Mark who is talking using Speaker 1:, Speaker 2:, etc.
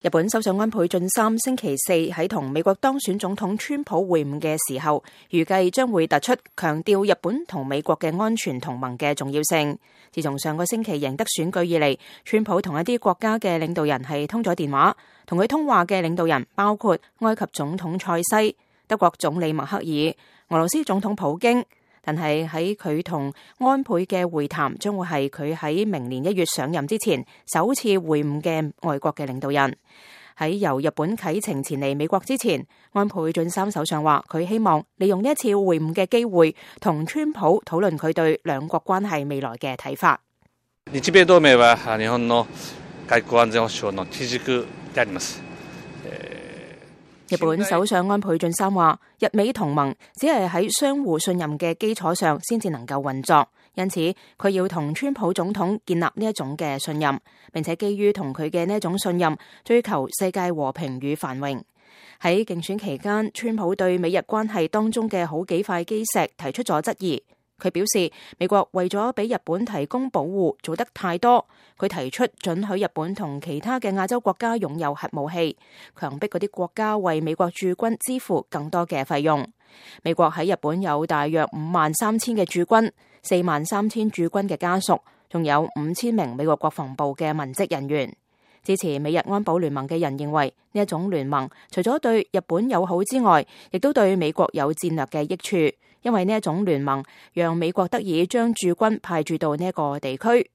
Speaker 1: 日本首相安倍晉三星期四喺同美國當選總統川普會晤嘅時候，預計將會突出強調日本同美國嘅安全同盟嘅重要性。自從上個星期贏得選舉以嚟，川普同一啲國家嘅領導人係通咗電話，同佢通話嘅領導人包括埃及總統塞西、德國總理默克爾、俄羅斯總統普京。但係喺佢同安倍嘅會談，將會係佢喺明年1月上任之前首次會晤嘅外國嘅領導人。喺由日本啟程前嚟美國之前，安倍晉三首相話佢希望利用呢一次會晤嘅機會，同川普討論佢對兩國關係未來嘅睇法。
Speaker 2: 日米同盟は日本の外交安全保障の基軸であります。
Speaker 1: 日本首相安倍晉三話，日美同盟只係喺相互信任嘅基礎上先至能夠運作，因此佢要同川普總統建立呢一種嘅信任，並且基於同佢嘅呢一種信任，追求世界和平與繁榮。喺競選期間，川普對美日關係當中嘅好幾塊基石提出咗質疑。佢表示，美國為咗俾日本提供保護做得太多。佢提出准許日本同其他嘅亞洲國家擁有核武器，強迫嗰啲國家為美國駐軍支付更多嘅費用。美國喺日本有大約53,000嘅駐軍，43,000駐軍嘅家屬，仲有5000名美國國防部嘅文職人員。支持美日安保聯盟嘅人認為，呢一種聯盟除咗對日本友好之外，亦都對美國有戰略嘅益處，因為呢一種聯盟讓美國得以將駐軍派駐到呢一個地區。